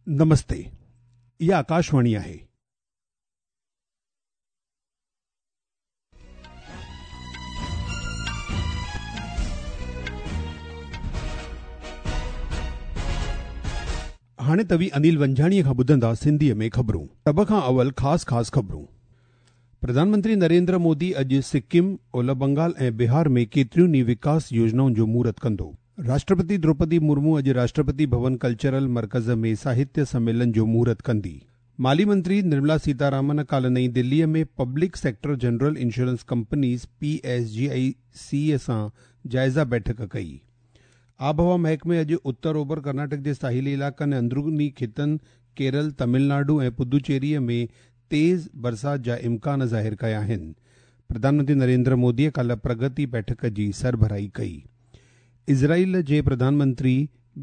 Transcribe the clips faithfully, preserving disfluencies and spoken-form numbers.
نمستي، اها آڪاشواڻي آهي. هاڻي توهين انيل ونجهاڻيءَ کان ٻڌندا سنڌيءَ ۾ خبرون. سڀ کان اول خاص خاص خبرون. پرڌان منتري نريندر مودي اڄ سڪم، اولهه بنگال ۽ بهار ۾ ڪيتريون ئي وڪاس يوجنائن جو مهورت ڪندو. راشٽرپتي دروپدي مرمو اڄ راشٽرپتي ڀون ڪلچرل مرڪز ۾ ساهتيه سميلن جو مهورت ڪندي. مالي منتري نرملا سيتارامن ڪالهه نئين دليءَ ۾ public sector general insurance companies P S G I C سان جائزه بيٺڪ ڪئي. آبهوا محڪمي اڄ اتر اوڀر ڪرناٽڪ جي ساحلي علائقن ۽ اندروني خطن ڪيرل، تامل ناڊو ۽ پدوچيريءَ ۾ تيز برسات جا امڪان ظاهر ڪيا آهن. پرڌان منتري نريندر موديءَ ڪالهه پرگتي بيٺڪ جي سربراهي ڪئي. اسرائيل جي پرڌان منتري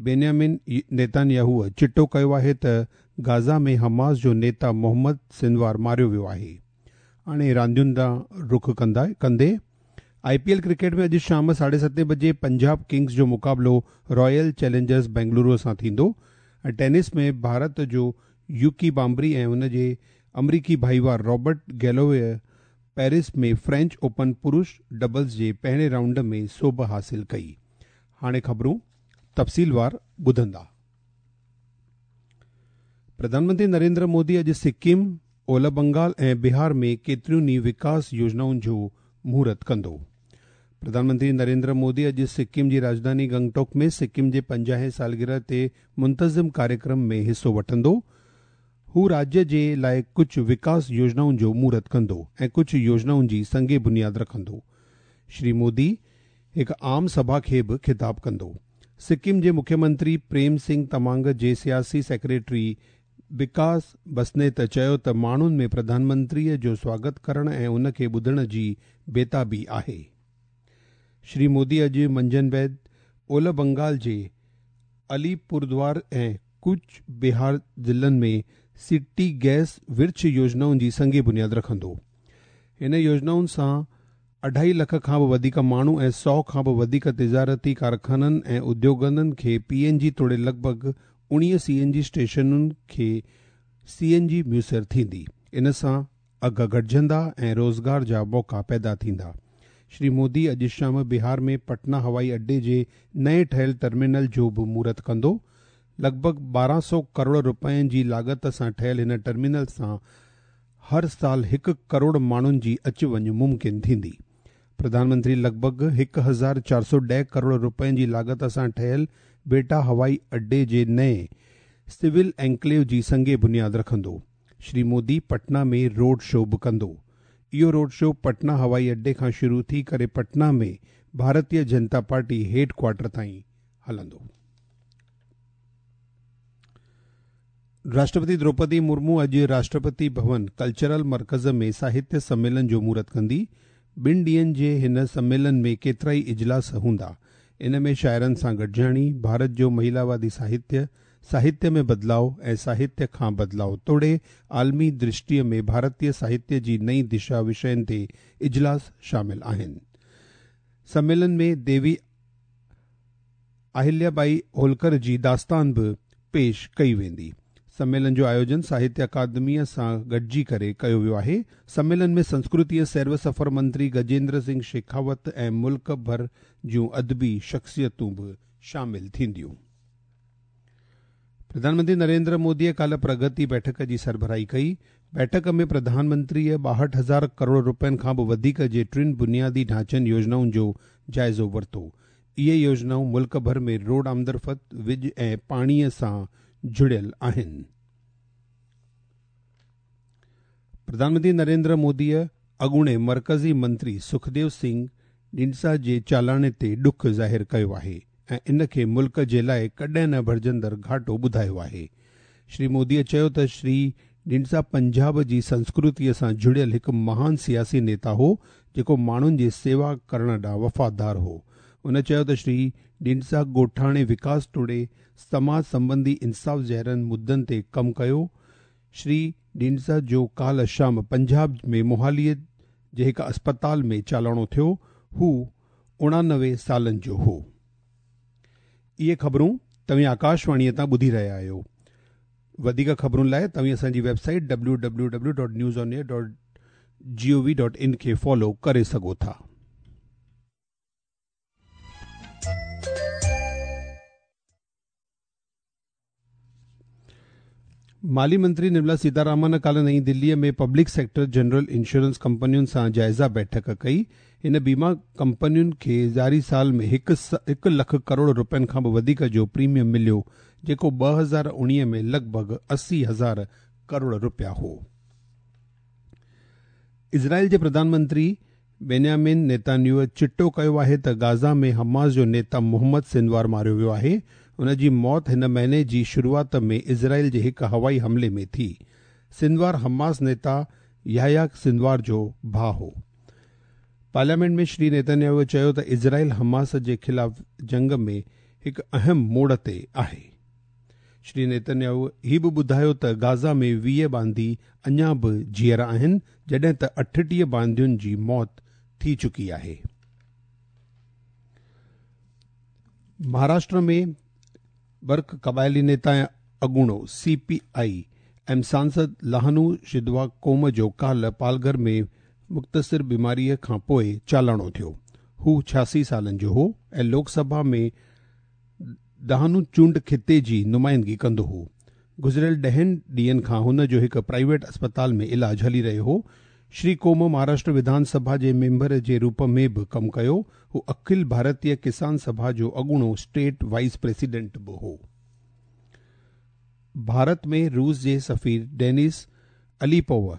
بينيامن نيتانياهوءَ چٽو ڪيو آهي ته غزه ۾ حماس جو نيتا محمد سنوار ماريو ويو آهي. هاڻي راندين ڏانهن رخ ڪندا ڪندي I P L cricket ۾ اڄ شام ساڍي ستين بجي پنجاب ڪنگز جو مقابلو رائل چئلينجرز بينگلورو سان ٿيندو ۽ ٽينس ۾ ڀارت جو يوڪي بامبري ۽ ان جي آمريڪي ڀائيوار رابرٽ گيلووي پيرس ۾ فرينچ اوپن پرش ڊبلز جي پهرين رائونڊ ۾ سوڀ حاصل ڪئي. هاڻي خبرون تفصيلوار ٻڌندا. پرڌان منتري نريندر مودي اڄ سڪم، اولهه بنگال ۽ بهار ۾ ڪيتريون ئي وڪاس يوجنائن جو مهورت ڪندو. پرڌان منتري نريندر مودي اڄ سڪم جي راڄڌاني گنگٽوڪ ۾ سڪم جي پنجاهين سالگرهه تي منتظم ڪاريڪرم ۾ حصو وٺندو. هو راجيه جي لاءِ ڪجهه وڪاس يوجنائن جو مهورت ڪندو ۽ ڪجهه يوجنائن جي سنگ بنياد رکندو. شري مودي هڪ عام سڀا کي به خطاب ڪندو. سڪم جي مکيه منتري پريم سنگهه تمانگ جي سياسي سيڪريٽري وڪاس بسنيت چيو ته ماڻهن ۾ پرڌان منتريءَ جو سواگت ڪرڻ ۽ ان کي ٻڌڻ جي بيتابي آهي. شري مودي اڄ منجهند بعد اولهه بنگال جي اليپوردوار ۽ ڪوچ بهار ضلعن ۾ سٽي گئس ورڇ يوجنائن جي سنگ بنياد رکندو. هن يوجنائن سان اڍائي لک کان به وڌيڪ ماڻهو ۽ سؤ کان به وڌيڪ تجارتي ڪارخانن ۽ اديوگن کي پي اين جي توڙي لڳ ڀڳ اڻويهه سي اين جي اسٽيشنن کي سي اين جي ميسر ٿيندي. ان سان اگهه گهٽجندا ۽ روزگار جا موقعا پيدا ٿيندا. شري مودي اڄ شام بهار ۾ پٽنا هوائي اڏي جي نئين ٺهيل ٽرمينل جو به مهورت ڪندو. لڳ ڀڳ ٻارهن سؤ ڪروڙ رپين جي لاڳت سان ٺهيل هن ٽرمينل سان هر سال هڪ ڪروڙ ماڻهن جي اچ وڃ ممڪن ٿيندي. پرڌان منتري لڳ ڀڳ هڪ هزار چار سؤ ڏهه ڪروڙ رپين جي لاڳت سان ٺهيل بيٽا هوائي اڏي جي نئين سول اينڪليو جي سنگ بنياد رکندو. شري مودي پٽنا ۾ روڊ شو به ڪندو. اهو روڊ شو پٽنا هوائي اڏي کان شروع ٿي ڪري پٽنا ۾ ڀارتيه جنتا پارٽي هيڊ ڪوارٽر تائين هلندو. راشٽرپتي دروپدي مرمو اڄ راشٽرپتي ڀون ڪلچرل مرڪز ۾ ساهتيه سميلن جو مهورت ڪندي. ٻن ڏينهن جي هن سميلن ۾ ڪيترا ئي اجلاس هوندا. ان ۾ شاعرن سان گڏجاڻي، ڀارت جو مهلاوادي ساهتيه، ساهتيه ۾ بدلاءُ ۽ ساهتيه کان بدلاءُ توڙي عالمي درشٽيءَ ۾ ڀارتيه ساهتيه جي نئين دشا وشين تي اجلاس شامل آهن. سميلن ۾ ديوي اهليا ٻائي هولڪر جي داستان به پيش ڪئي ويندي. سميلن جو آيوجن ساهتيه اڪادميءَ سان گڏجي ڪري ڪيو ويو آهي. سميلن ۾ سنسڪرتي ۽ سير و سفر منتري گجيندر سنگهه شيکاوت ۽ ملڪ ڀر جون ادبي شخصيتون به شامل ٿينديون. پرڌان منتري نريندر موديءَ ڪالهه پرگتي بيٺڪ جي سربراهي ڪئي. بيٺڪ ۾ پرڌان منتريءَ ٻاهٺ هزار ڪروڙ رپين کان به وڌيڪ جي ٽن بنيادي ڍانچن يوجنائن جو جائزو ورتو. اهي يوجنائون ملڪ ڀر ۾ روڊ آمدرفت، وڄ ۽ پاڻيءَ سان جڙيل آهن. پرڌان منتري نريندر موديءَ اڳوڻي مرڪزي منتري سکديو سنگهه ڍنڊسا جي چالاڻي تي ڏک ظاهر ڪيو آهي ۽ ان کي ملڪ جي لاءِ ڪڏهن نه ڀرجندڙ گهاٽو ٻڌايو آهي. شري موديءَ چيو ته شري ڍنڊسا پنجاب جي سنسڪرتيءَ سان جڙيل هڪ مهان سياسي نيتا هو، جيڪو ماڻهن جي سيوا ڪرڻ ڏانهن وفادار هو. هن چيو ته شري ڍنڊسا ڳوٺاڻي وڪاس توڙي سماج سنٻنڌي انصاف جهڙن مدعن تي ڪم ڪيو. شري ڍنڊسا جو ڪالهه شام پنجاب ۾ موهاليءَ جي هڪ اسپتال ۾ چالاڻو ٿيو. هو اڻانوي سالن جو هو. اهي خبرون توهين آڪاشواڻيءَ تان ٻڌي رهيا آهيو. वधीक ख़बरुनि लाइ तव्हीं असांजी website W W W dot news on air dot G O V dot in खे फॉलो करे सघो था। माली मंत्री निर्मला सीतारामन काल्ह नई दिल्लीअ में पब्लिक सेक्टर जनरल इंश्योरेंस कंपनियुनि सां जाइज़ा बैठक कई। इन बीमा कंपनियुनि खे जारी साल में हिकु लख करोड़ रुपयनि खां बि वधीक जो प्रीमियम मिलियो, जेको ॿ हज़ार उणिवीह में लॻभॻि असी हज़ार करोड़ रुपया हो। इज़राइल जे प्रधानमंत्री बेन्यामिन नेतान्याहू चिटो कयो आहे त गाज़ा में हमास जो नेता मोहम्मद सिनवार मारियो वियो आहे। उन जी मौत हिन महीने जी शुरूआत में इज़राइल जे हिकु हवाई हमले में थी। सिनवार हमास नेता याह्या सिनवार जो भाउ हो। पार्लियामेंट में श्री नेतन्याहू चयो त इज़राइल हमास जे ख़िलाफ़ जंग में हिकु अहम मोड़ ते आहे। श्री नेतन्याहू हीअ बि ॿुधायो त गाज़ा में वीह बांदी अञा बि जीअरा आहिनि, जॾहिं त अठटीह बांदियुनि जी मौत थी चुकी आहे। महाराष्ट्र में बर्क क़बाइली नेता ऐं अॻूणो सी पी I M सांसद लहानू शिदवा कोम जो काल्ह पालघर में मुख़्तसिर बीमारीअ खां पोइ चालाणो थियो। हू छियासी सालनि जो हो ऐं लोकसभा में दहानू चूंड ख़िते जी नुमाइंदगी कंदो हो। गुज़िरियल ॾहनि ॾींहनि खां हुन जो हिकु प्राइवेट अस्पताल में इलाज हली रहियो हो। श्री कोम महाराष्ट्र विधानसभा जे मेंबर जे रूप में बि कमु कयो। हू अखिल भारतीय किसान सभा जो अॻूणो स्टेट वाइस प्रेसिडेंट बि हो। भारत में रूस जे सफ़ीर डेनिस अलीपोव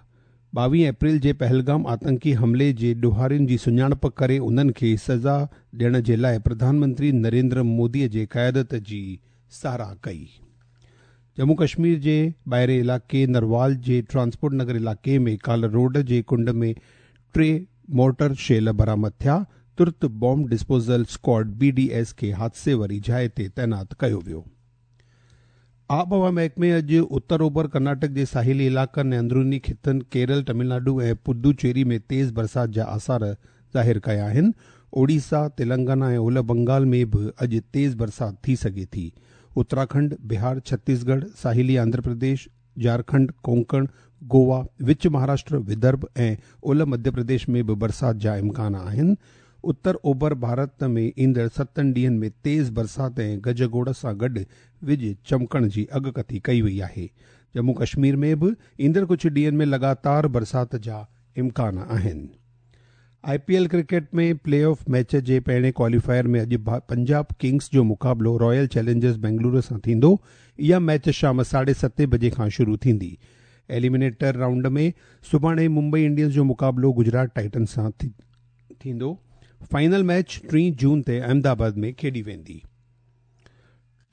ॿावीह अप्रैल जे पहलगाम आतंकी हमले जे ॾुहारियुनि जी सुञाणप करे उन्हनि खे सज़ा ॾियण जे लाइ प्रधानमंत्री नरेंद्र मोदीअ जे क़यादत जी सराह कई। जम्मू कश्मीर जे ॿाहिरें इलाइक़े नरवाल जे ट्रांसपोर्ट नगर इलाइक़े में काल्ह रोड जे कुंड में टे मोटर शेल बरामद थिया। तुर्त bomb disposal squad B D S खे हादसे वारी जाइ ते तैनात कयो वियो। आबहवा महकमे अॼु उत्तर ओभर कर्नाटक जे साहिली इलाइक़नि ऐं अंदरूनी ख़ितनि केरल, तमिलनाडु ऐं पुदुचेरी में तेज़ बरसाति जा आसार ज़ाहिर कया आहिनि। ओडिशा, तेलंगाना ऐं ओलह बंगाल में बि अॼु तेज़ बरसाति थी सघे थी। उत्तराखंड, बिहार, छत्तीसगढ़, साहिली आंध्र प्रदेश, झारखंड, कोंकण, गोवा, विच महाराष्ट्र, विदर्भ ऐं ओलह मध्य प्रदेश में बि बरसाति जा इम्कान आहिनि। उत्तर ओभर भारत में ईंदड़ सतनि ॾींहनि में तेज़ बरसाति ऐं गजगोड़ सां गॾु विज चमकण जी अॻकथी कई वई आहे। जम्मू कश्मीर में बि ईंदड़ कुझु ॾींहनि में लगातार बरसाति जा इम्कान आहिनि। I P L cricket में प्ले ऑफ मैच जे पहिरें क्वालीफायर में अॼु पंजाब किंग्स जो मुक़ाबिलो रॉयल चैलेंजर्स बेंगलुरु सां थींदो। इहा मैच शाम साढे सतें बजे खां शुरू थींदी। एलिमिनेटर राउंड में सुभाणे मुंबई इंडियंस जो मुक़ाबिलो गुजरात टाइटन सां थींदो। फाइनल मैच टी जून ते अहमदाबाद में खेॾी वेंदी।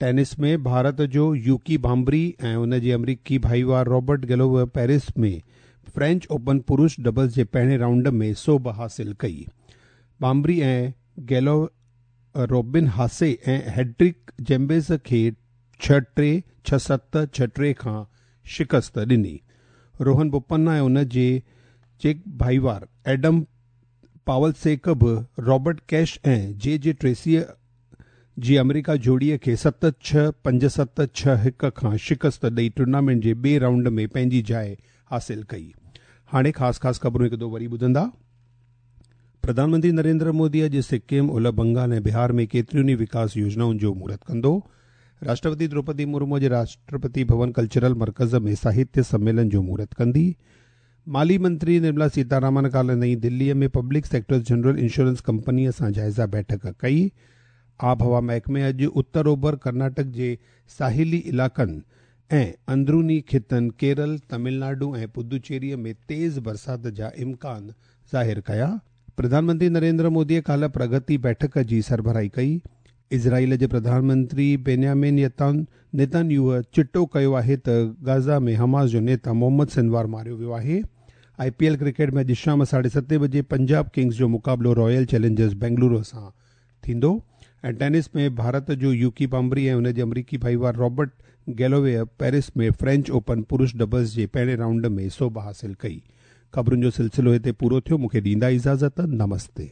टेनिस में भारत जो यूकी भांबरी ऐं उन जे अमरीकी भाईवार रॉबर्ट गैलोवे पेरिस में फ्रेंच ओपन पुरुष डबल्स जे पहिरें राउंड में सोभ हासिल कई। भांबरी ऐं गैलो रॉबिन हासे ऐं हेड्रिक जेम्बेस खे छह टे छह सत छह टे खां शिकस्त ॾिनी। रोहन बोपन्ना ऐं उन जे चेक भाईवार एडम पावलसेक बि रॉबर्ट कैश ऐं जे जे ट्रेसीअ जी अमेरिका जोड़ीअ खे सत छह पंज सत छह हिकु खां शिकस्त ॾेई टूर्नामेंट जे ॿिए राउंड में पंहिंजी जाइ हासिल कई। हाणे ख़ासि ख़ासि ख़बरूं हिकु दो वरी ॿुधंदा। प्रधानमंत्री नरेंद्र मोदी अॼु सिक्किम, ओलह बंगाल ऐं बिहार में केतिरियुनि ई विकास योजनाउनि जो मुहूर्त कंदो। राष्ट्रपति द्रौपदी मुर्मू अॼु राष्ट्रपति भवन कल्चरल मर्कज़ में साहित्य सम्मेलन जो मुहूर्त कंदी। माली मंत्री निर्मला सीतारामन काल्ह नई दिल्लीअ में पब्लिक सेक्टर जनरल इंश्योरेंस कंपनीअ सां जाइज़ा बैठक कई। आबहवा महकमे अॼु उत्तर ओभर कर्नाटक जे साहिली इलाइक़नि ऐं अंदरूनी ख़ितनि केरल, तमिलनाडु ऐं पुदुचेरीअ में तेज़ बरसाति जा इम्कान ज़ाहिर कया। प्रधानमंत्री नरेंद्र मोदीअ काल्ह प्रगति बैठक जी सरबराही कई। इज़राइल जे प्रधानमंत्री बेन्यामिन नेतन्याहू चिटो कयो आहे त गाज़ा में हमास जो नेता मोहम्मद सिनवार मारियो वियो आहे। I P L cricket में अॼु शाम साढे सतें बजे पंजाब किंग्स जो मुक़ाबिलो रॉयल चैलेंजर्स बेंगलुरु सां थींदो। ऐं टेनिस में भारत जो यूकी भांबरी ऐं हुन जे अमरीकी भाईवार रॉबर्ट गैलोवे पेरिस में फ्रेंच ओपन पुरुष डबल्स जे पहिरें राउंड में सोभ हासिल कई। ख़बरुनि जो सिलसिलो हिते पूरो थियो। मूंखे ॾींदा इजाज़त। नमस्ते।